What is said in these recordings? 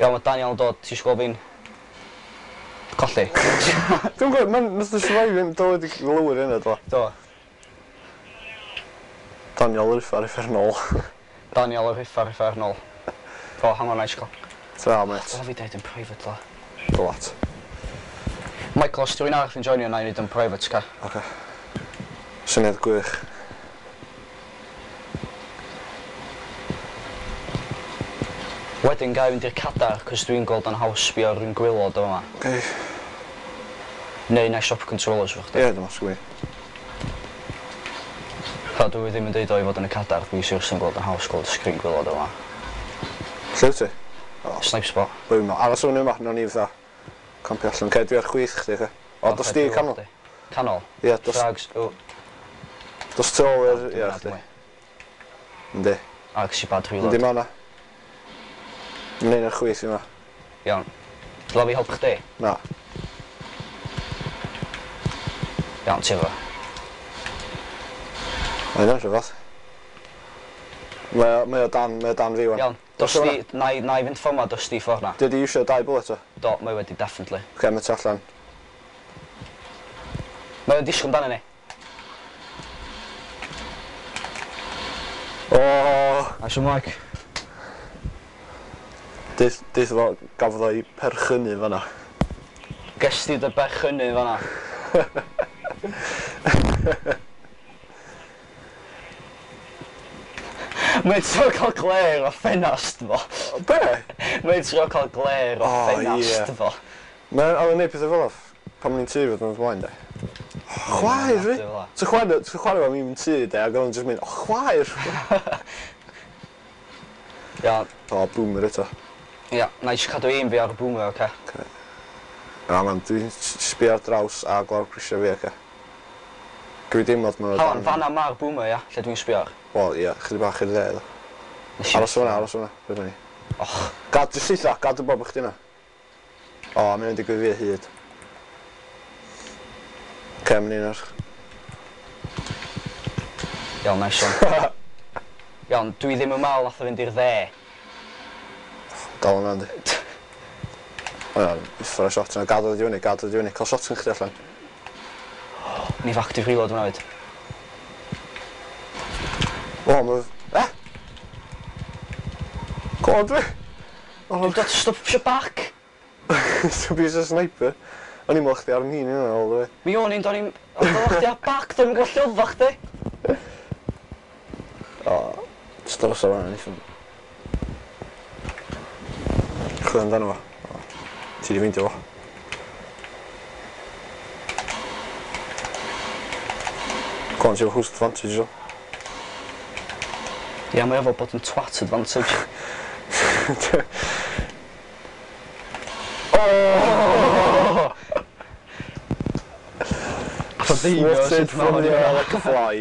Iawn, mae Daniel yn dod, ti eisiau gweld fi'n colli? Dwi'n gwybod, mae'n nath o survive yn dod i lower yna, do. Do. Daniel yr uffar uffernol. Daniel yr uffar uffernol. O, hang on, na i eisiau cael. Ta, mate. O, fi deud yn private, la. Dwat. Michael, os rhywun arall yn joinio, na i wneud yn private, ca. Oce. Syniad gwych. Wedyn ga i fynd i'r cadar, cos dwi'n gweld o'n haws sbio ar un gwaelod o fama. Oce. Neu na i swap controllers efo chdi. Ie, dim ots gyda fi. Ta, dwi ddim yn deud o i fod yn y cadar, dwi seriously yn gweld o'n haws gweld y sgrin gwaelod o fama. Lle wyt ti? O. Snipe spot. Bwy yma. Aros o'n yma, nawn ni fatha campio allan. Oce, dwi ar chwith chdi, oce? O, dos di canol. Canol? Ie, dos... Frags, o. Dos tu ôl i'r... Ie, chdi. Yndi. A, ges i bad reload. Yndi, ma' 'na. Mae'n un ar chwith yma. Iawn. Dyla fi helpu chdi? Na. Iawn, ti efo. Mae hynna'n rhyfedd. Mae o, mae o dan, mae o dan fi wan. Iawn, dos di, na i, na i fynd ffordd ma, dos di ffordd na. Di di iwsio dau bullet o? Do, mae wedi, definitely. Oce, mae tu allan. Mae o'n disgwyl amdano ni. O! Nice one, Mike. Deith, deith fo, gafodd o'i perchynu fanna. Ges ti dy berchynu fanna? Mae'n trio cael glare o ffenast fo. Be? Mae'n trio cael glare o ffenast fo. Mae'n oedd yn neud pethau fel off pan o'n i'n tŷ fod yn flaen, de. Chwaer fi! Ti'n chwarae, ti'n chwarae fo mewn tŷ, de, ac oedd o'n just mynd, o, chwaer! Iawn. O, boomer eto. Ia, na i jyst cadw aim fi ar y boomer, oce? Oce. Ia, man, dwi'n sbio ar draws a gweld grisiau fi, oce? Gwy deimlad ma'n Hang on, fanna ma'r boomer, ia, lle dwi'n sbio ar? Wel, ia, chydig bach i'r dde, ddo. Aros o'na, aros o'na, be ni? Och. Gad, jyst eitha, gad y bob chdi yna. O, mae'n digwydd fi o hyd. Oce, mae'n un ar... Iawn, nice one. Iawn, dwi ddim yn meddwl nath o fynd i'r dde. Dal yna, yndi. O iawn, uffar o shot yna. Gad o di fyny, gad o di fyny. Cael shot yn chdi allan. Ni active reload hwnna fyd. O, mae... E? Go on, dwi! Dwi'n dod stop back! Dwi'n bys y sniper. O'n i'n meddwl chdi ar 'nhîn yna all the way. Mi o'n i'n, do'n i'n... Oedd chdi ar back, do'n i'n gweld lle oeddach chdi. O, jyst aros ar fan'na, neith Chwilio amdano fo. Ti di ffeindio fo. Go on, ti efo host advantage o. Ia, mae efo bod yn twat advantage. Oh! Swatted from the air like a fly.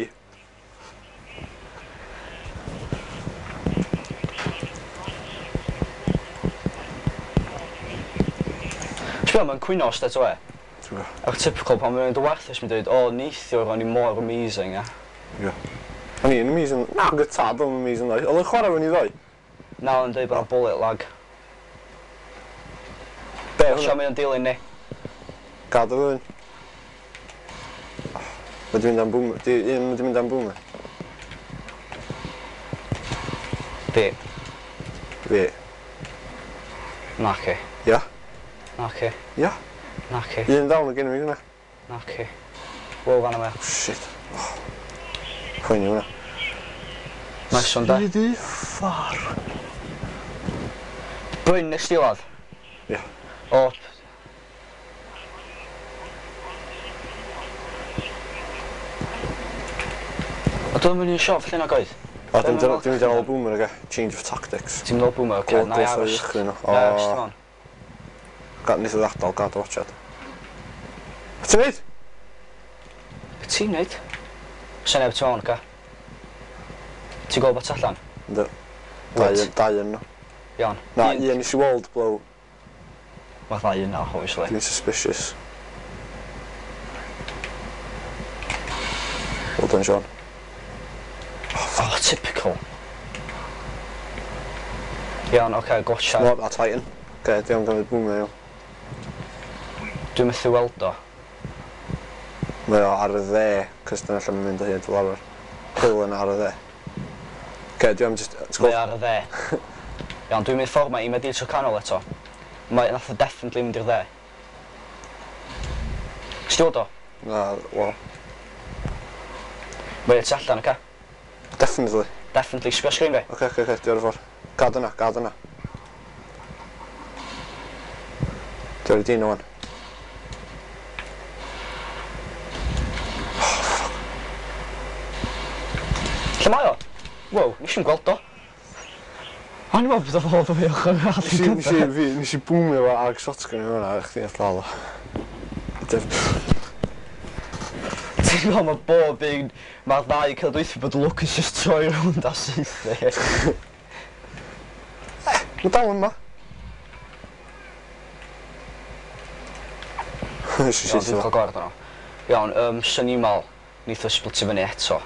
Ti'n mae'n cwyno straight away. Ti'n gwybod? Ac typical pan mae'n dod warthus, mae'n dweud, o, neithiwr, o'n i mor amazing, ia. Ie. O'n i'n amazing. Na, gyda tad o'n amazing ddoe. Oedd o'n chwarae fyny ddoe? Na, o'n dweud bod o'n bullet lag. Be, hwnna? Mae o'n dilyn ni. Gad o fyny. Mae di mynd am boomer. Di, un mae di mynd am boomer. Fi. Fi. Naci. Ia. Naci. Ia. Naci. Un down o gen i fi hwnna. Naci. Wow, fanna mae. Shit. Oh. Poeni hwnna. Nice one, da. Sidi ffar. Bryn, nes di ladd? Ia. O. A dwi'n mynd i'n siop lle nag oedd? O, dwi'n mynd ar ôl boomer, oce? Change of tactics. Ti'n mynd ôl boomer, oce? Na i aros. Na i aros, ti'n on. Neith o ddadal, gad o watchad. Be ti'n neud? Be ti'n neud? Sa'n neb tu mewn, oce? Ti'n gweld bot allan? Yndw. Dau yn nhw. Iawn. Na, un nes i weld blow. Mae ddau yna, obviously. Dwi'n suspicious. Well done, Sean. Oh, typical. Iawn, oce, gotcha. No, that's Titan. Oce, diolch gymryd boomer iawn. Dwi'n methu weld o. Mae o ar y dde, cos dyna lle mae'n mynd o hyd fel arfer. Hill yna ar y dde. Oce, dwi am just... Mae o ar y dde. Iawn, dwi'n mynd ffordd ma i medi'r tro canol eto. Mae nath o definitely mynd i'r dde. Ti'n weld o? Na, wel. Mae o tu allan, oce? Definitely. Definitely, sbio sgrin fi. Oce, dwi ar y ffordd. Gad yna, gad yna. Dwi ar y dyn o'n. Lle mae o? Wow, nes i'm gweld o. O'n i'n meddwl bod o fod o fi ochr arall i Nes i boomio fo ag shotgun i hwnna, a chdi all o. Ti'n gweld mae bob un, mae'r ddau cael dweithio bod Lucas just troi rownd a saethu. Mae dal yma. Nes i Iawn, saethu dwi'n fo. cael gwared arno. Iawn, swn i'n meddwl, neith o splitio fyny eto.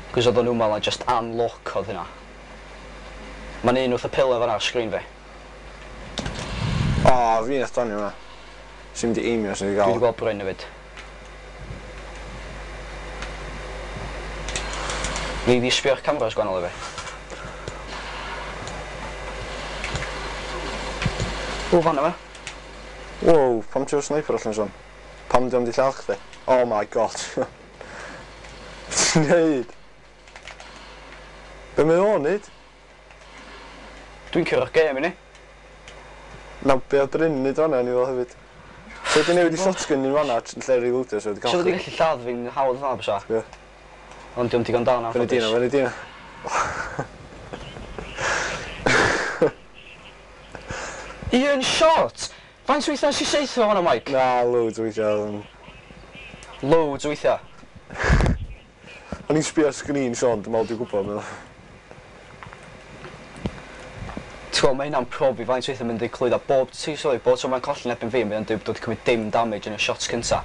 Cos oedd o'n nhw'n meddwl na just unlock oedd hynna. Mae'n un wrth y pillar fan'na ar sgrin fi. O, fi nath donio hwnna. Sy'n mynd i aimio sy'n wedi Dwi wedi gael. gweld Bryn hefyd. Fi di sbio'r cameras gwahanol i fi. O, fan'na fe. Wow, pam ti'n sniper allan sôn? Pam di am di lladd chdi? Oh my god. Ti'n neud? Be mae o'n neud? Dwi'n curo'r gêm i ni. Na, be oedd Bryn yn neud fan'na ni fel hefyd. So wedi newid i shotgun ni'n fan'na yn lle reloadio, so wedi So cael wedi gallu lladd fi'n hawdd fan'na bysa. Ie. Ond diolch digon da na. Fyny dino, fyny dino. Un shot! Faint weithiau nes i saethu fo fan'na, Mike? Na, loads o weithiau. Loads o weithiau. O'n i'n sbio ar sgrin, Sean, dwi'n meddwl dwi'n gwybod, meddwl. Ti'n gweld, mae hynna'n profi faint weithiau mynd i clwyddo. Bob, ti'n sylwi, bob tro mae'n colli'n ebyn fi, mae'n dweud bod wedi cymryd dim damage yn y shots cynta.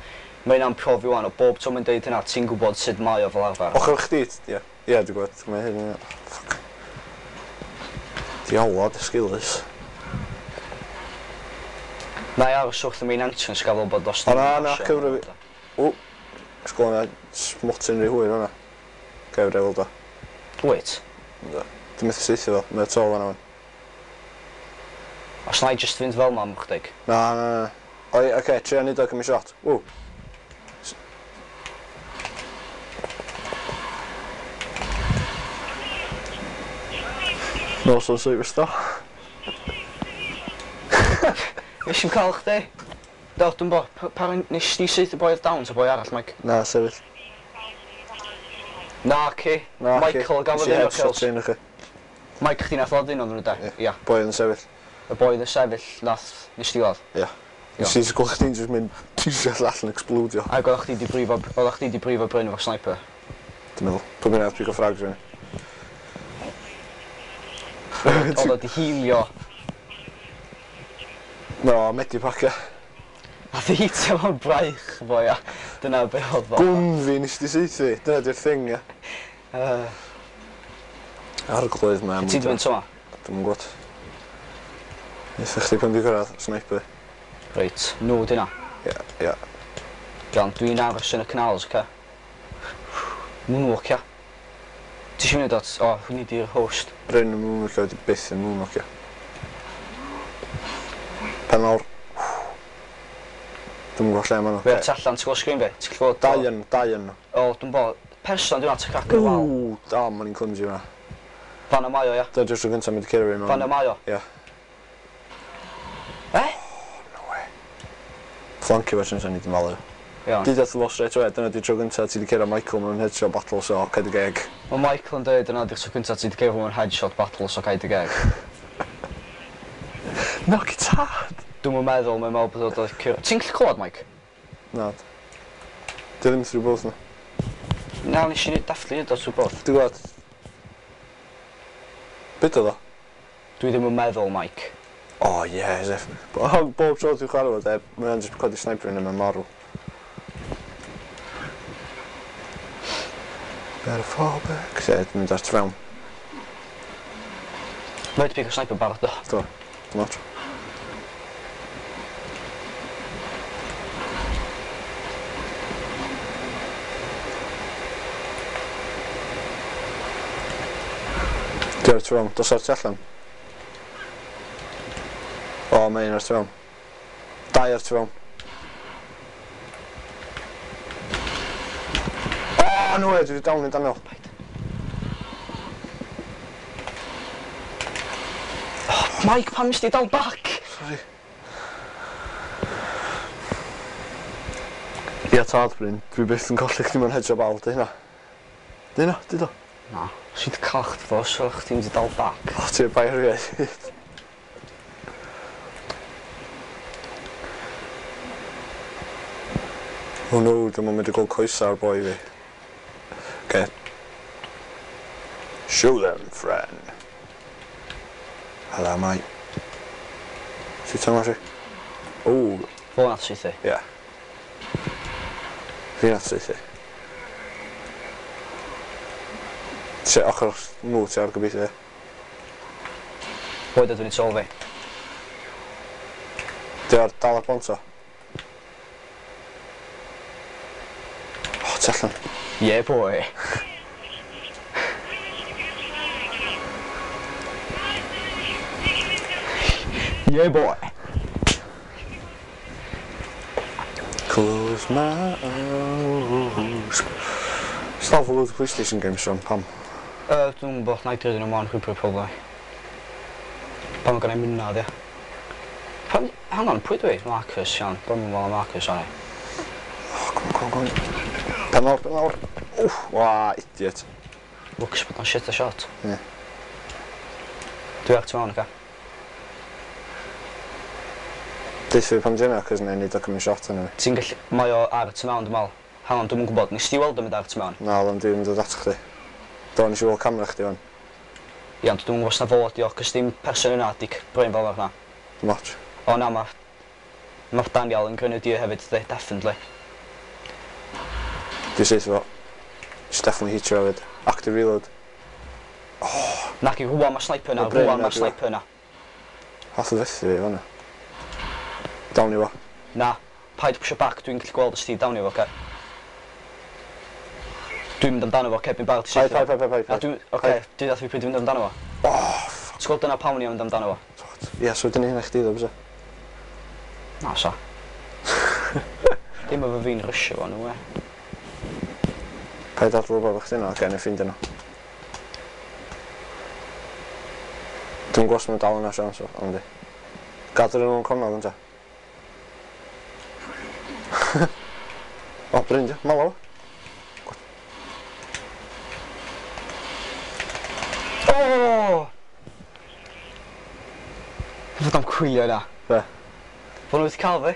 Mae hynna'n profi wan, o bob tro mae'n dweud hynna, ti'n gwybod sut mae o fel arfer. Ochr chdi, ie. Ie, dwi'n gwybod. Mae hyn yn... Fuck. Diawlod, esgeulus. Na i aros wrth y main entrance gael fel bod os O, na, na, cyfro fi. O, sgol yna smotyn rhy hwyr hwnna. Cyfro i weld o. Wait, Dwi'n methu saethu fo, mae o to fan'na wan. os na i just fynd fel ma am chdig. Na, na, na. O, ie, oce, trio neud o cymryd shot. Ww. Nos o'n superstar. Nes i'm cael chdi. Do, dwi'n bo, pa nes di saethu boi oedd down ta boi arall, Mike? Na, sefyll. Na, ci. Na, Michael gafodd un o'r kills. un o'ch chi. Mike, chdi nath ladd un o'n nhw, de? Ie. Ia. Boi yn sefyll. Y boi oedd yn sefyll, nath, nes di weld. Ie. Nes i gweld chdi'n just mynd tisio allan explodio. Ac oeddech chdi di brifo, oeddech chdi di brifo Bryn efo sniper. Dwi'n meddwl. Pwy bynnag pigo frags fyny. Oedd o di healio. No, medipack e. Nath i hitio fo'n braich fo, ia. Dyna be oedd o. Gwn fi nes di saethu. Dyna di'r thing, ia. Arglwydd mae. Ti di mynd tro ma? Dwi'm yn gwybod. Neitha chdi pan di cyrraedd, sniper. Reit, nhw di na. Ie, ie. Iawn, dwi'n aros yn y canals, oce? Moonwalk, ia. Ti eisiau mynd at... O, hwnni di'r host. Bryn yn moonwalkio wedi byth yn moonwalkio. Pen lawr. Dwi'm yn gwybod lle maen nhw. Fe ar tu allan, ti'n gweld sgrin fi? Ti'n gweld... Dau yn, dau yn. O, dwi'n bo. Person dwi'n at y crac o'r wal. Ww, da, ma'n i'n clumsy hwnna. Fan y mae o, ia. Dyna di'r tro gyntaf mynd i cyrra fi mewn. Fan y mae o. Ie. E? No way. Flancio fe sy'n ni di malu. Iawn. Dyd at fo straight away, dyna di'r tro gyntaf ti di cyrra Michael mewn headshot battle, so cael dy geg. Mae Michael yn dweud yna di'r tro cyntaf ti di cyrra mewn headshot battle, so cael dy geg. Knock it hard! Dwi'm yn meddwl, mae'n meddwl bod o'n cyrra... Ti'n gallu clywed, Mike? Na. Di ddim through both na. Na, nes i definitely neud o trwy both. Dwi'n gwybod. Beth oedd o? Dwi ddim yn meddwl, Mike. Oh yeah, as if. Bob tro dwi'n chwarae fo, de, mae'n just codi sniper yn yma'n marw. Better fall back. Se, dwi'n mynd ar fewn. Mae wedi pigo sniper barod do. Do. Not. Di ar tu fewn. Dos ar tu allan. O, mae un ar tu fewn. Dau ar tu fewn. O, no way, dwi wedi down i Daniel. Paid. Oh, Mike, pam nes di dal back? Sorry. Ia tad, Bryn, dwi byth yn colli chdi mewn hedge o bal, di hynna. Di hynna, di do. Na, os i 'di cael chdi ddo, so chdi'n mynd i dal back. O, ti'n bai ar fi. Oh no, dwi'm yn mynd i gweld coesa ar boi fi. Okay. Show them, friend. Hello, mate. Ti teimlo chi? O, Fo nath saethu. ie. Fi nath saethu. Ti ochr nhw ti ar gobeithio. Boi dod fyny tu ôl fi. Di ar dal ar bont o? O, ti allan. Yeah, boy. Yeah, boy. Close my eyes. Stop for loads of PlayStation games, Sean, pam? Dwi'n gwybod, na i dweud yn ymlaen chwipio probably. Pam mae gen i mynadd, ia. Pam, hang on, pwy dwi? Marcus, iawn. Dwi'n meddwl am Marcus, o'n i. Oh, come on, come on, come on. Pen lawr, pen lawr. Wff, wa, idiot. Lwcus bod o'n shit a shot. Ie. Dwi ar tu mewn, oce? Deutha fi pam di hynna, cos na i neud o cymryd shot arno fi. Ti'n gallu... Mae o ar y tu mewn, dwi'n meddwl. Hang on, dwi'm yn gwybod. Nes ti weld o'n mynd ar y tu mewn? Na, oedd o'n dwi'n dod at chdi. Do, nes i weld camera chdi fan. Ia, ond dwi'm yn gwybod os na fo ydi o, cos dim person yna di Bryn fel yna. Dim ots. O na, mae Daniel yn grenadier hefyd, dydi, definitely. Dwi'n saethu fo. Just definitely hitio hefyd. Active reload. Naci, rwan mae sniper yna, O, Bryn rwan yna, mae sniper yna. Hath o fethu fi fan'na. Down i fo. Na, paid pwysio back, dwi'n gallu gweld os ti down i fo, oce? Dwi'n mynd amdano fo, oce, dwi'n barod i Paid, saethu fo. paid, paid, paid, Na, paid. dwi'n, oce, dwi'n ddath fi pryd dwi'n mynd amdano fo. Oh, fuck. Ti'n gweld dyna pam o'n i am mynd amdano fo? Ie, so dyna hynna chdi ddo, bysa? Na, sa. Dim efo fi'n rysio fo, no way. Paid adl wybod chdi yna, oce, neu ffeindio nhw. Dwi'n gwybod os ma'n dal yna, Sean, so, ond di. Gadw nhw'n cornel, ynte. O, Bryn, di, malo. O! Fod o'n cwylio yna. Be? Fo nhw wedi cael fi.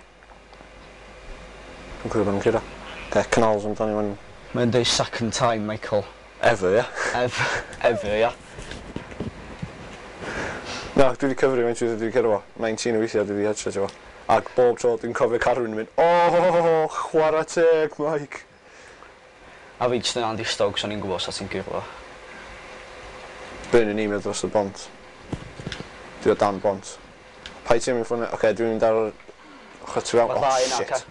Dwi'n cwylio bod nhw'n curo. Oce, canals amdani fan Mae'n dweud second time, Michael. ever, ie. Ever, ever, ia. Na, dwi wedi cyfri faint dwi wedi curo fo. 19 o weithiau dwi wedi headshot fo. Ac bob tro dwi'n cofio Carwyn yn mynd, oh, chwarae teg, Mike. A fi jyst yn Andy Stokes, o'n i'n gwybod sa ti'n guro fo. Bryn yn e-mail dros y bont. Dwi o dan bont. Paid ti'n mynd ffwrdd? Oce, dwi'n mynd ar yr ochr tu fewn. Mae Oh, ddau yna, shit. oce.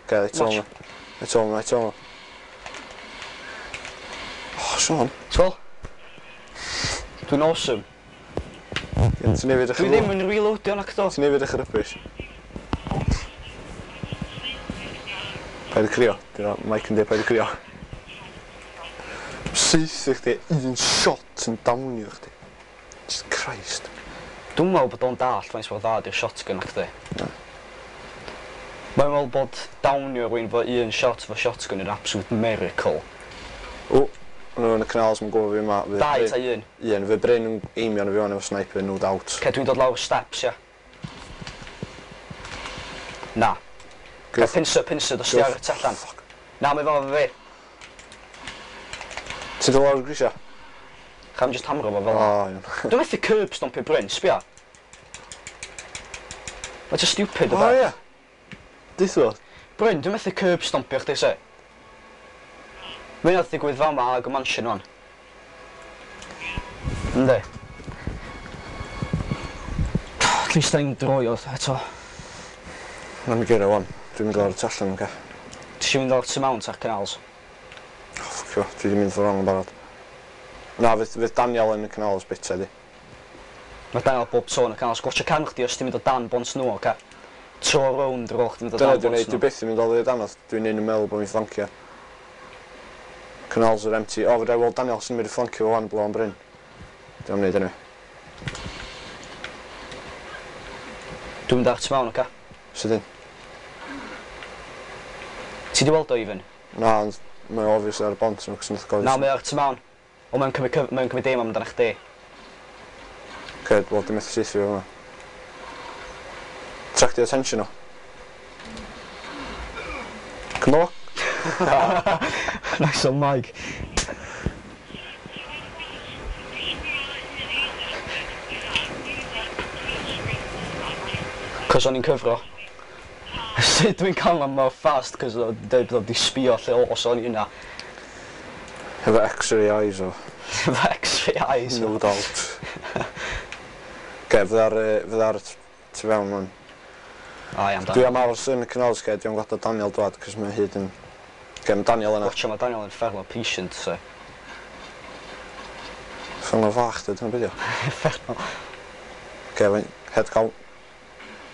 Oce, it's on. It's on, it's on. Oh, Sean. Ti'n gweld? Dwi'n awesome. Ti'n nefyd eich Dwi ddim yn reloadio nac do. Ti'n nefyd eich rybys. Paid y crio. Dwi'n Mike yn dweud paid y crio. Saethu chdi, un shot yn downio chdi. Jesus Christ. Dwi'n meddwl bod o'n dallt faint mor dda di'r shotgun nac di. Na. Mae'n meddwl bod downio rhywun fo un shot fo shotgun yn absolute miracle. O, nhw yn y canals yn gwybod fi yma. Fydd Dau Bryn- ta un. Un, fydd Bryn yn aimio arno fi wan efo sniper, no doubt. Ce, dwi'n dod lawr steps, ia. Na. Go Ce, pincer, pincer, dos ti Go ar y tu allan. Na, mae fo efo fi. Ti'n dod lawr y grisia? Cham just hamro fo O, fel 'na. iawn. Dwi'n methu curb stompio Bryn, sbia. Mae'n just stupid o O, beth. ie. Deutha fo. Bryn, dwi'n methu curb stompio chdi, se. Mae'n nath ddigwydd fama ag y mansion wan. Yndi. At least da ni'n droi o eto. Na mi gyrra wan. Dwi'n mynd lawr y tu allan, oce? Ti eisiau mynd lawr tu mewn ta'r canals? Oh, fuck you, dwi wedi mynd wrong yn barod. Na, fydd Daniel yn y canals bit di. Mae Daniel bob tro yn y canol. Gwatcha cefn chdi os ti'n mynd o dan bont nhw, oce? Tro rownd ar ôl chdi mynd o Dyna dan dwi'n bont neud, dwi nhw. byth yn mynd oddi o danodd. Dwi'n un yn meddwl bod fi'n flancio. Canals are empty. O, fedra i weld Daniel sy'n mynd i flancio fo wan, blaw am Bryn. Dwi'n am neud anyway. Dwi'n mynd ar tu mewn, oce? Sydyn. Ti di weld o, even? Na, ond mae o obviously ar y bont nhw, cos nath gofyn. Na, mae o ar tu mewn. O, mae'n cymryd dim amdano chdi. Oce, wel, dwi'n methu saethu fo yma. Attractio attention o. Come on. Nice one, Mike. Cos o'n i'n cyfro. Sut dwi'n cael am mor fast, cos o'n dweud bod o'n di sbio lle os o'n i yna. Hefo x-ray eyes o. Efo x-ray eyes. No doubt. Oce, fydda ar y tu fewn wan. O, iawn, Dwi Dan. am aros yn y canals, ge, dwi am gadael Daniel dwad, cos mae hyd yn... Oce, mae Daniel yna. Watcha, mae Daniel yn uffernol patient, so. Uffernol fach, dwi, dyna beth o. Uffernol. Oce, fe'n head count.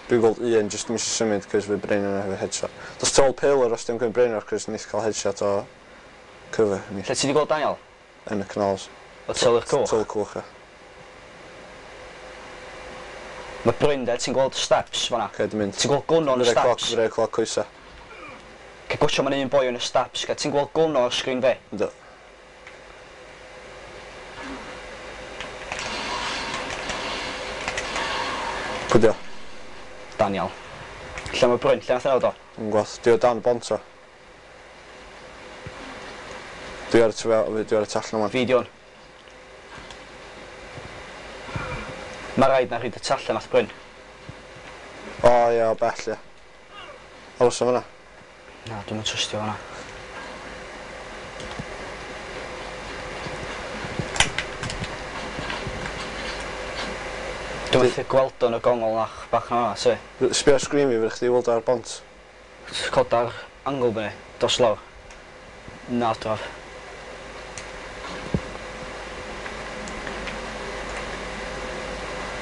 Dwi'n gweld un, jyst ddim eisiau symud, cos fe Bryn yna efo headshot. Dos tu ôl pillar os dim cymryd Bryn o'r cos neith cael headshot o cover. Lle ti di gweld Daniel? Yn y canals. O tu ôl i'r cwch? Tu ôl y cwch, ie. Mae Bryn de, ti'n gweld steps fan'na? Oce, dwi'n mynd. Ti'n gweld gwn o'n y Fydda cloc, steps? fydda cloc coesa. Ce gwtio mae'n un boi yn y steps, ce ti'n gweld gwn o'r sgrin fe? Yndw. Pwy di o? Daniel. Lle mae Bryn? Lle nath yna o? Dwi'n gweld. Di o dan y bont o. Dwi ar y tu fel, dwi ar y tu allan yma. Fi di hwn. Mae rhaid na rhaid y tu allan nath Bryn. O ie, o bell ie. Aros am fyna. Na, dwi'm yn trystio hwnna. Dwi'n methu gweld o'n y gongol nach bach na hwnna, si. Sbio ar sgrin fi, fydd chdi weld o ar bont. Cod ar angle fyny, dos lawr. Na, draf.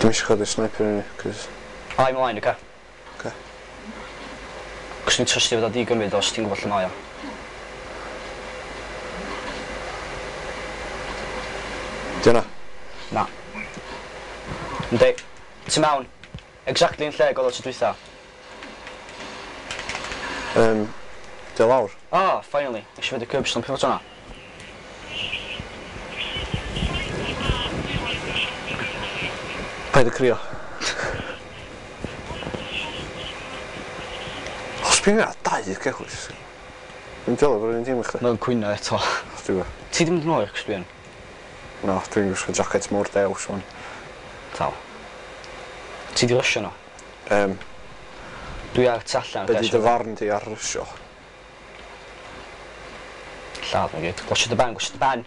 Dwi'n eisiau codi'r sniper yn i, cos... Ai, ymlaen, oce? Oce. Cos dwi'n trystio fod o di gymryd os ti'n gwybod lle mae o. Di hwnna? Na. Yndi. Ti mewn. Exactly yn lle oedd o tro dwytha. Di o lawr? Ah, finally. Nes i fynd y curb stomp efo hwnna. Paid y crio. O, sbio yna, dau cechwys. Dwi'n teimlo bod yr un tîm i chdi. Mae'n cwyno eto. Dwi'n gwybod. Ti ddim yn oer, cos dwi'n. No, dwi'n gwisgo jacket mor dew, swan. Tal. Ti di rysio nhw? Dwi ar tu allan. Be di dy farn di ar rysio? Lladd nhw gyd. Gwasio dy ben, gwasio dy ben.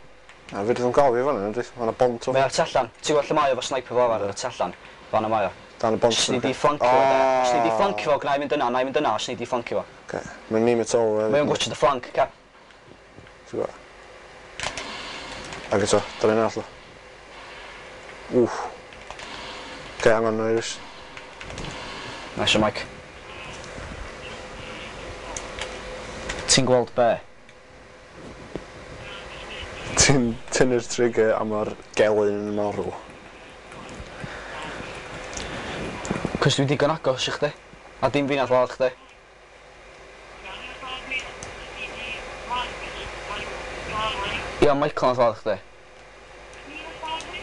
Na, fe ddim gael fi fan'na, yndi? Ma' 'na bont o. Mae ar tu allan. Ti'n gweld lle mae o efo sniper fel arfer ar y tu allan? Fan'na mae o. Dan y bont. Os ni di flancio fo, de. Os ni di flancio fo, gna i fynd yna, na i fynd yna, os ni di flancio fo. Oce. Mae'n ni metal. Mae o'n gwatchio dy flank, ca. Ti'n gwybod? Ac eto, dyna un arall o. Wff. Oce, hang on, Iris. Nice one, Mike. Ti'n gweld be? Ti'n tynnu'r trigger a mae'r gelyn yn marw. Cos dwi'n digon agos i chdi. A dim fi nath ladd chdi. Ia, Michael nath ladd chdi.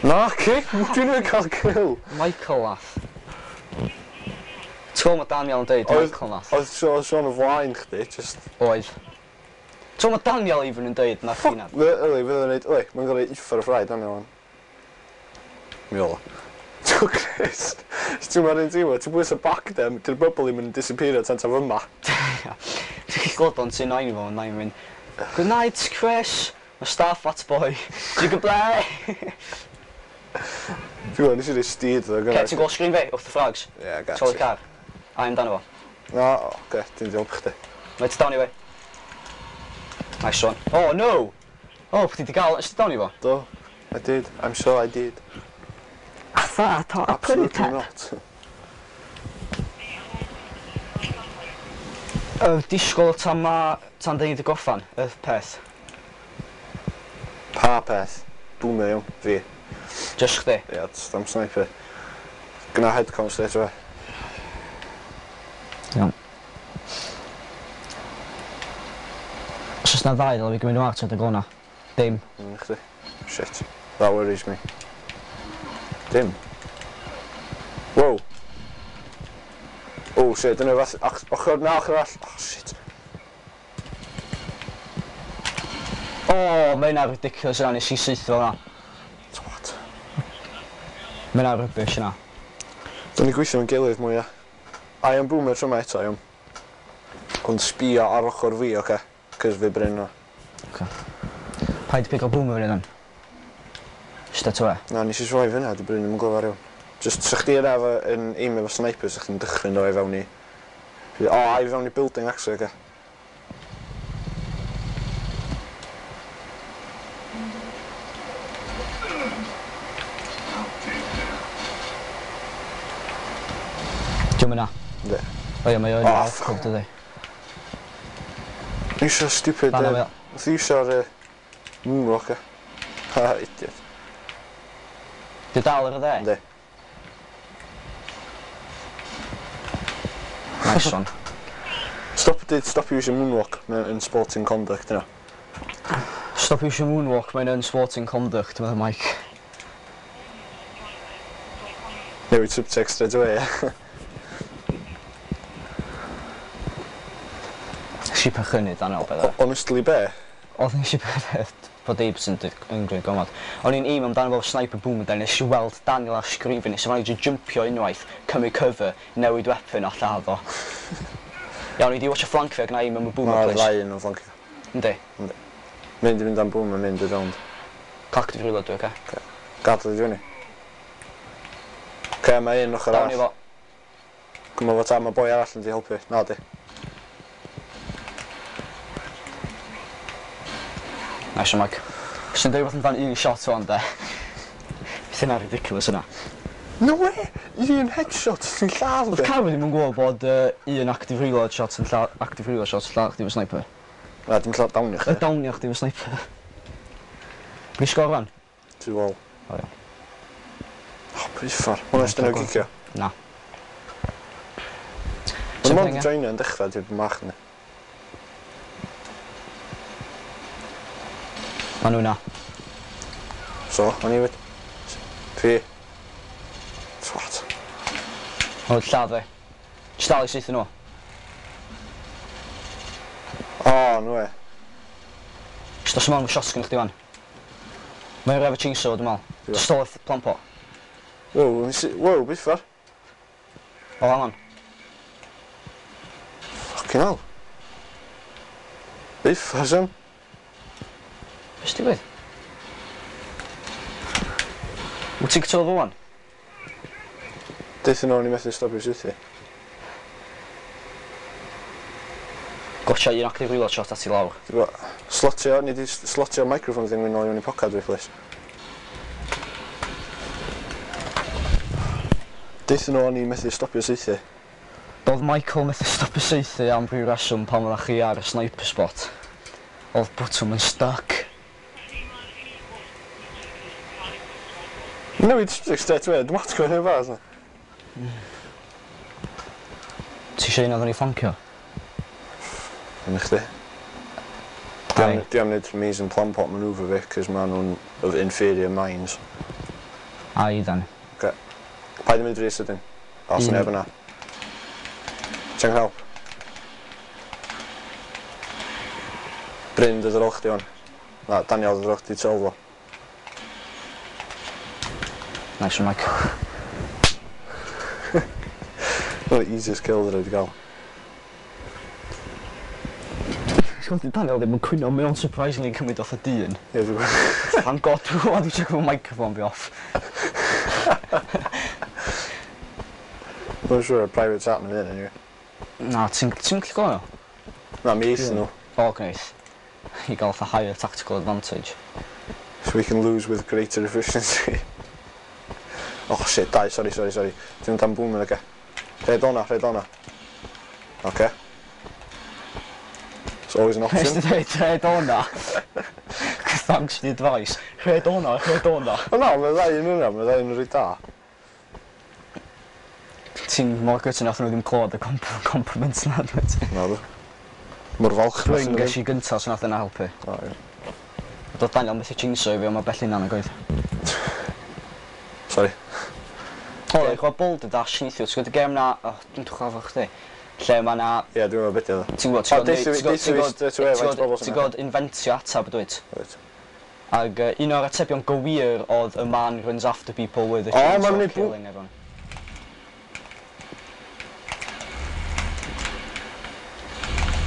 Na, ci! Dwi'n mynd cael kill! Michael nath. Ti'n gweld mae Daniel yn deud, Michael nath. Oedd Sean o flaen chdi, just... Oedd. Ti'n gweld mae Daniel even yn deud na chdi nath. Yli, fydd o'n neud... Yli, mae'n gorau uffar y ffraid, Daniel o'n. Mi ola. Ti'n Chris, ti'n ma'n un tîm, ti'n bwys y back dem, di'r bubble i'm yn disappeario tan taf yma. Ti'n gallu gweld o'n ti'n nain fo, nain mynd, Good night, Chris. My star fat boy. You can play. Dwi'n gwybod, nes i rei steed ddo, Okay, ti'n gweld screen fi, wrth y frogs? Ie, got Tol y you. car. A amdano fo. Na, oce, dwi'n diolch chdi. Mae ti down i fi. Nice one. Oh, no! Oh, chdi di gael, ys ti down i fo? Do, I did, I'm sure I did. fart or a prynu Absolutely pep. Not. Y disgwyl tan ma... tan dyn ni wedi gorffan, y peth. Pa peth? Boomer iawn, fi. Just chdi. Ie, yeah, am sniper. Gynna headcount straight away. Iawn. Os oes na ddau, ddylai fi gymryd nhw at y gona. Dim. Chdi. Shit. That worries me. Dim. Wow. Oh shit, dyna fath... Ochr na, ochr arall. Oh shit. O, mae hynna ridiculous yna, nes i saethu fel yna. Twat. Mae hynna rubbish yna. Dyna ni gweithio yn gilydd mwy, ia. I am boomer tro yma eto, iawn. Ond sbio ar ochr fi, oce? Cys fi Bryn o. Paid pigo boomer fyny then. Straight away. Na, nes i sroi fyna, di Bryn ddim yn glyfar iawn. Just, sa chdi yna efo yn aimio efo sniper, sa chdi'n dychryn o i fewn i... O, a i fewn i building, actually, oce? Diolch yna. Yndi. O ie, mae o yn Oh, oh, fuck. dydi. Iwsio stupid... Fan o. Nath i iwsio'r moonwalk, e. Ha, idiot. Di dal ar y dde? Yndi. Nice one. Stop, did, stop using moonwalk in sporting conduct, yna. Stop using moonwalk, mae'n unsporting conduct, meddai Mike. Newid subtext straight away, ie. Nes i perchynu Daniel, beth. Honestly, be? Oedd nes i peth bod Dave yn yn gwneud gomod. O'n i'n aim amdano fo sniper boom and then nes i weld Daniel ar sgrin fi, nes i manage jumpio unwaith, cymryd cover, newid weapon a lladd o. Iawn, i di watch a flank fi ac na aim am y boomer, Mae'r please. ddau yn o'n flancio. Yndi. Mynd i fynd am boom a mynd i rownd. Cock di reload dwi, oce? Gadal i fyny. Oce, mae un ochr Down i arall. fo. Gwmod fo ta, mae boi arall yn di helpu. Na di. Nice one, Mike. Sy'n dweud bod amdan un shot o'n de. Beth yna ridiculous yna. No way! Un headshot sy'n lladd Oedd fi. Carwyn ddim yn gwybod bod un active reload shot yn lladd, active reload shot yn lladd chdi efo sniper. Na, dim lladd down i Y chdi. downio chdi efo sniper. Fi sgor fan? Tu ôl. O, iawn. O, uffar. Hwna sy'n nhw gicio. Na. Mae'n mond Something, ie? joinio yn dechrau, dwi'n bach ni. Ma nhw na. So, o'n i fyd. Fi. Twat. Ma nhw'n lladd fi. Jyst dal i saethu nhw. O, no way. Jyst os yma shotgun chdi fan. Mae'n efo chainsaw, dwi'n meddwl. Ie. Just stole plant pot. Wow, wow, uffar. O, hang on. Fucking hell. Uffar, Sam. Be sy'n digwydd? Wyt ti'n cytuno fo wan? Deuthon nhw o'n i methu stopio saethu. Gotcha un active reload shot at i lawr. Ti'n gwbod, slotio, ni di slotio microphone thing mynd nôl i mewn i pocad fi, please. Deuthon nhw o'n i methu stopio saethu. Doedd Michael methu stopio saethu am ryw reswm pan oeddech chi ar y sniper spot. Oedd bwtwm yn stuck. Newid subject straight away, dwi'n atgo hynny bach. Ti eisiau un oedden ni flancio? Yn chdi. Ai. Di am wneud amazing plan pot manoeuvre fi, cos ma nhw'n of inferior minds. Ai, then. Paid yn mynd rhy sydyn. O, sy'n neb yna. Ti'n help. Bryn, dod ar ôl chdi hwn. Na, Daniel, dod ar ôl chdi tu ôl fo. Nice one, Mike. One of the easiest kills that I've gael. Ti'n Daniel ddim yn cwyno, mae o'n surprisingly yn cymryd off y dyn. Ie, dwi'n gwybod. Thank God, dwi'n gwybod, dwi'n check microphone fi off. Dwi'n siŵr private chat yn y anyway. Na, ti'n ti'n gallu gweld nhw? Na, mi eithon nhw. O, gwneud. I gael fatha higher tactical advantage. So we can lose with greater efficiency. Oh shit, dau, sorry, sorry, sorry. Ti'n mynd am boom yn oce. Rhed o'na, rhed o'na. Oce. It's always an Nes option. ti dweud rhed o'na? Thanks for the advice. Rhed o'na, rhed o'na. O na, mae ddau yn hwnna, mae ddau yn reit da. Ti'n mor gytûn nath nhw ddim clywed y compliments na, dwyt? Na dwi. Mor falch Bryn ges i gyntaf, so nath yna helpu. O, ie. Doedd Daniel methu jinxo i fi, ond mae bell hynna'n oedd. Sorry. O, oh, chwa Boulder Dash neithiwr, ti'n gwybod y gêm na... Oh, dwi'n chwa fo chdi. Lle mae na... Ie, dwi'n meddwl beth yw. Ti'n gwybod, O, deutha fi straight away faint o bobl sy'n ti'n gwybod inventio atab, dwyt? Wyt. Ac un o'r atebion gywir oedd a man runs after people with a O, ma'n chainsaw mynd i killing everyone.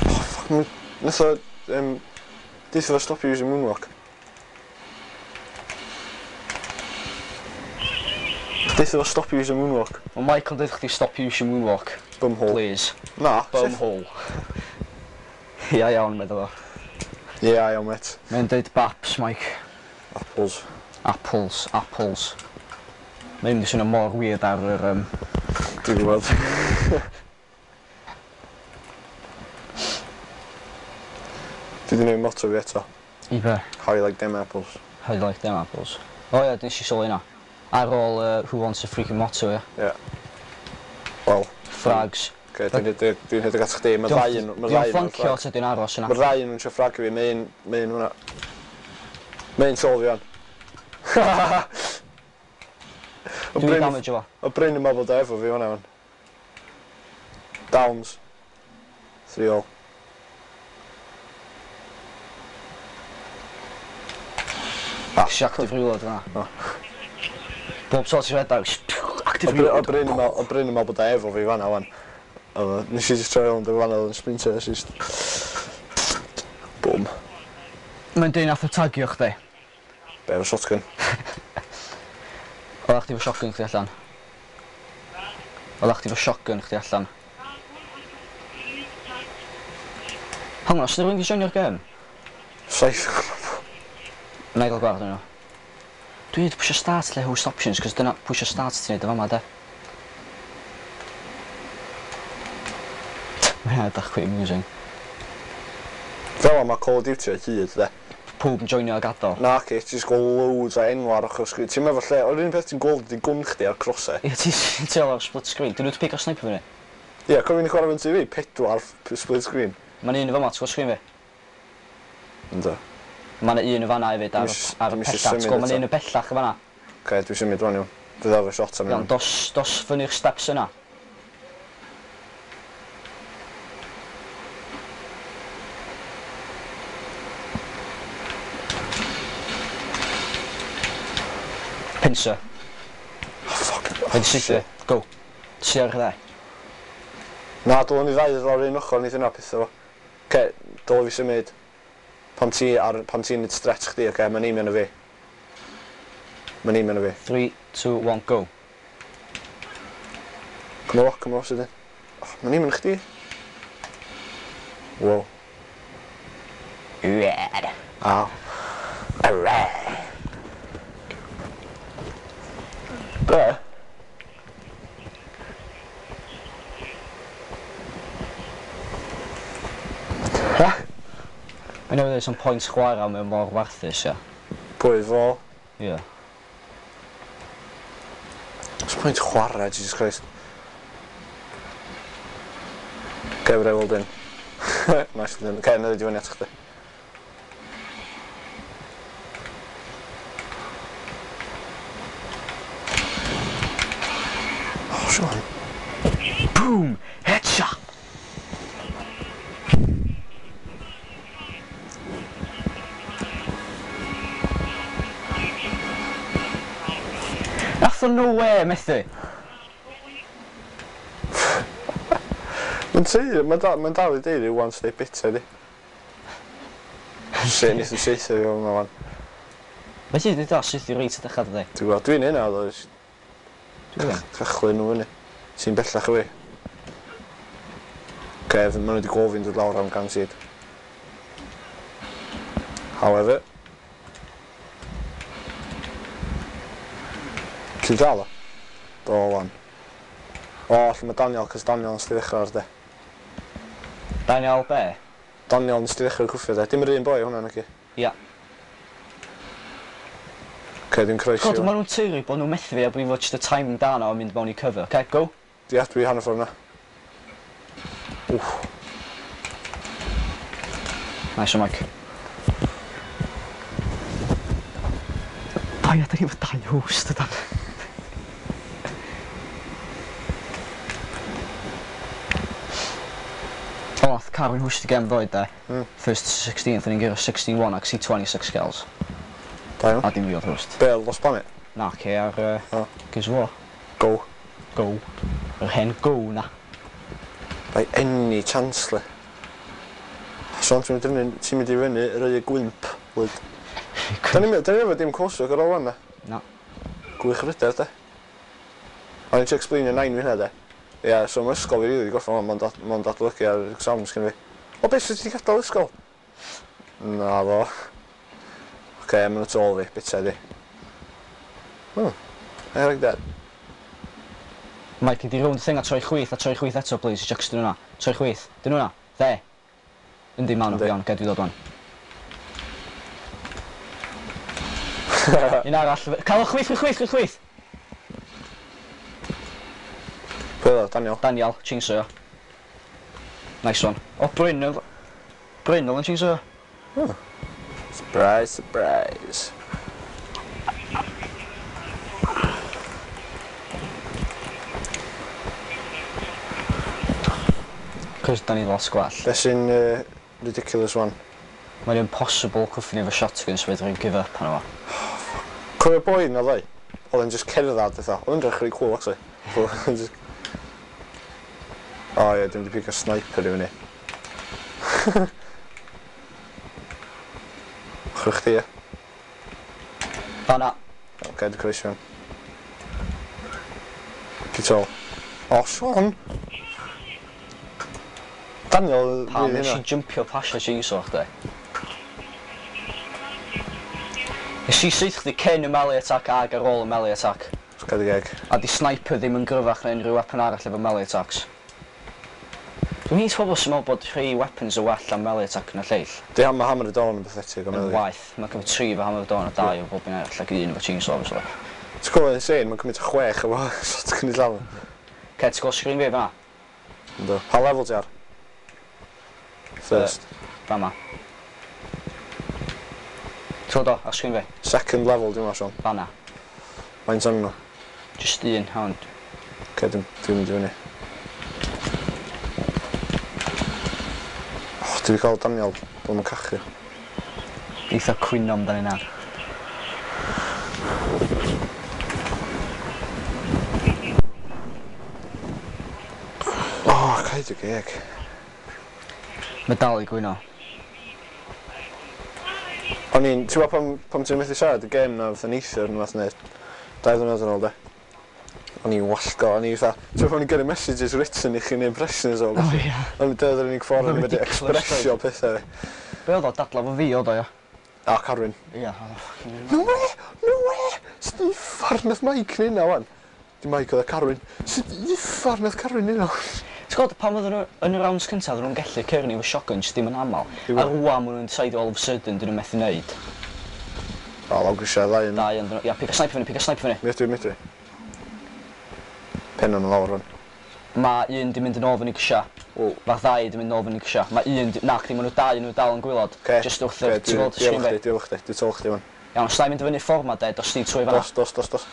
Fuck, nath o... Deutha fo stopio using moonwalk. Deutha fo stopio using moonwalk. Mae Michael dweud chdi stop using moonwalk, Bumhole. please. Na. Bumhole. Ia iawn, meddwl fo. Ie, iawn, mate. Mae'n dweud baps, Mike. Apples. Apples, apples. Mae'n mynd i swnio mor weird ar yr... Dwi'n gwybod. Dwi 'di newid motto fi eto. I be? How you like them apples. How you like them apples? O ie, nes i sylwi hynna. Ar ôl Who Wants a Freaking Motto, ie. Ie. Wel, Frags. oce, dwi'n rhedeg at chdi. Mae ddau yn... Mae Diolch ddau yn flancio ta di'n aros yna. Mae'r ddau yn trio ffragio fi. Mae un... Mae un hwnna. Mae un sol fi wan. O Dwi'n Bryn- damage o fo. O Bryn yn meddwl da efo fi hwnna wan. Downs. 3-all. Ah. Nes i active reload fyna. O. Bob tro ti'n rhedeg, active O reload. Bryn yn meddwl- o Bryn yn meddwl bod o efo fi fan'na wan. Oedd o- Nes i just troi rownd o fan'na oedd yn sprinter, nes i just... Boom. Mae'n dweud nath o tagio chdi. Be efo shotgun. Oeddach chdi efo shotgun chdi allan. Oeddach chdi efo shotgun chdi allan. Hang on, os yna rhywun 'di joinio'r gêm? Saith. Na i gael gwared nhw. Dwi wedi pwysio start lle host options, cos dyna pwysio start ti'n neud o fama, de. Mae'n edrych quite amusing. Fel yma Call of Duty o hyd, de. Pawb yn joinio a gadael. Na, ci, ti'n just gweld loads o enw ar ochr sgrin. Ti'n meddwl lle, o'r un peth ti'n gweld ydi gwn chdi ar crosau. Ie, ti'n teimlo ar split screen. Dyn nhw wedi pigo sniper fyny. Ie, cofio ni'n chwarae fy'n TV, 4 split screen. Mae'n un o fama, ti'n gweld screen fi? Ynddo. Mae'n un o fanna hefyd ar, Dwi'm isio- ar y dwi'm isio pellach. Ti'n symud gweld, mae'n eto. un o bellach o fanna. Oce, dwi'n symud rwan iawn. Fydd efo shot am Iawn, hyn. dos fyny'r steps yna. Pincer. Oh, fuck. Rhaid i saethu. Go. Ti ar y dde. Na, dylwn ni ddau ddod o'r un ochr, neith yna pethau fo. Oce, dylwn fi symud. Pan ti ar, pan ti'n neud stretch chdi, oce, mae'n aimio na fi. Mae'n aimio na fi. 3, 2, 1, go. Come on, come on, sydyn. Oh, mae'n aimio na chdi. Wow. Red. Aw. Red. Be? Ha? Mae'n newid some point chwarae mewn mor warthus, ia. Pwy fo? Ie. Oes pwynt chwarae, Jesus Christ. Oce, fydda i weld un. Nice one. Oce, na i ddod i fyny at chdi. Oh, Sean. Boom! Headshot! Nath o nowhere methu. Mae'n teulu, mae'n dal, mae'n dal i deulu one step bitter, di. Shit, nes i saethu fi o'n wan. Mae ti wedi dod syth i reit y dechrau dydi? Dwi'n gwybod, dwi'n hynna, oedd Dwi'n cychwyn nhw fyny. Ti'n bellach o fi. Oce, maen nhw wedi gofyn dod lawr am guaranteed. However. Ti'n dal o? Do, wan. O, lle mae Daniel, cos Daniel nes di ddechrau ar de. Daniel be? Daniel nes di ddechrau cwffio de. Dim yr un boi hwnna, naci? Ia. Oce, dwi'n croesi. God, maen nhw'n teulu bod nhw'n methu fi a bod fi fod just y timing da na o'n mynd mewn i cover. Okay, go. Ia, dwi hanner ffordd na. Wff. Nice one, Mike. Bai, a da ni efo dau host ydan. O, nath Carwyn host y gem ddoe, de. First 16th, o'n i'n gyrru 61 ac 26 kills. Da iawn. A dim fi oedd host. Be, Lost Planet? Na, ce ar O. Gears of War. Go. Go. Yr hen go na. By any chance, le. Sean, ti'n mynd i fyny, ti'n mynd i fyny, rhoi y gwymp, lyd. Da ni'n efo dim close ar ôl fan, na? Na. Gwych ryder, de. O'n i'n explainio nain fi hynna, de. Ia, so mae ysgol fi rili gorffen wan, ma'n datblygu ar exams gen fi. O, beth sydd wedi gadael ysgol? Na fo. Oce, ma'n nhw tu ôl fi, bita di. Oh, I like that. Mike, di rownd thing a troi chwith, a troi chwith eto, please. Just dyn nhw'na. Troi chwith. Dyn nhw'na. Dde. Yndi, ma'n nhw. Yndi. Iawn, ged fi ddod wan. Un arall. Cael o chwith, chwith, chwith, chwith, chwith. Pwy oedd o, Daniel? Daniel, chainsaw. Nice one. O, Bryn, Bryn oedd yn chainsaw. Surprise, surprise. Cos da ni lot gwell. Be sy'n ridiculous one? Mae'n impossible cwffio ni efo shotgun so fedrwn give up arno fo. Cofio boi na ddoe? Oedd e'n just cerdded fatha. Oedd e'n edrych really cool actually. Oedd e'n just... O ie, dwi'n di pigo sniper i fyny. Ochr chdi, ie? Fanna. Oce, dwi'n croesi fewn. Cytol. O, Sean! Daniel, Pam fydd nes hynna. i jumpio pasio chainsaw chdi? Nes i syth chdi cyn y melee attack ag ar ôl y melee attack. Gad y geg. A di sniper ddim yn gryfach na unrhyw weapon arall efo melee attacks. Dwi'n hyd pobl sy'n meddwl bod rhai weapons yn well am melee attack na lleill. Di ham, mae Hammer of Dawn yn pathetic o Yn melee. waeth. Mae'n cymryd tri efo Hammer of Dawn a dau efo bob un arall ac un efo chainsaw obviously. Ti'n gwybod insane, mae'n cymryd chwech efo shotgun i llawn. Ce, ti'n gweld screen fi fan'na? Yndw. Pa level ti ar? First. Fama. Ti'n gweld o, ar screen fi? Second level, dwi'n meddwl, Sean. Fan'na. Faint o'n nhw? Just un, hwn. Oce, dwi'n mynd i fyny. Oh, dwi wedi cael Daniel bod yn cachu. Eitha cwyno amdano hynna. Oh, cael dy geg. Mae dal i gwyno. O'n i'n, ti'n gwybod pam ti'n methu siarad y gêm na fatha neithiwr neu fath neu 2 ddiwrnod yn ôl de. O'n i'n wallgo, o'n i fatha, ti'n gwybod pan o'n i'n gyrru messages written i chi neu impressions o. O ia. O'n i'n dod yr unig ffordd o'n i'n medru Ridiculous, expressio pethau fi. Be oedd o, dadla fo fi oedd o, ia? A Carwyn. Ia, oedd o fucking... No way! No way! Sut uffar nath Mike neud na wan? Di Mike oedd y Carwyn. Sut uffar nath Carwyn neud na? Ti'n gwybod, pan oedden nhw yn y rounds cyntaf, oedden nhw'n gallu cyrru ni efo shotguns dim yn aml. Dim A yn- rwan maen nhw'n decide all of a sudden, dyn nhw'n methu neud. O, lawr grisiau ddau yn. Dau yn dyn nhw. Ia, pick a sniper fyny, pick a sniper fyny. Mi ydw i, mi ydw i. Pen o'n lawr rwan. Mae un di mynd yn ôl fyny grisia. Wow. Mae'r ddau di mynd yn ôl fyny grisia. Mae un, di... Na, chdi, maen nhw dau yn nhw dal yn gwylod. Oce. Just wrth y... Oce, Ti'n gweld Dwi screen efo fi? chdi, dwi efo chdi, dwi tu ôl chdi wan. Iawn, os na i mynd fyny ffordd ma de, dos di trwy fan'na. Dos, dos, dos, dos.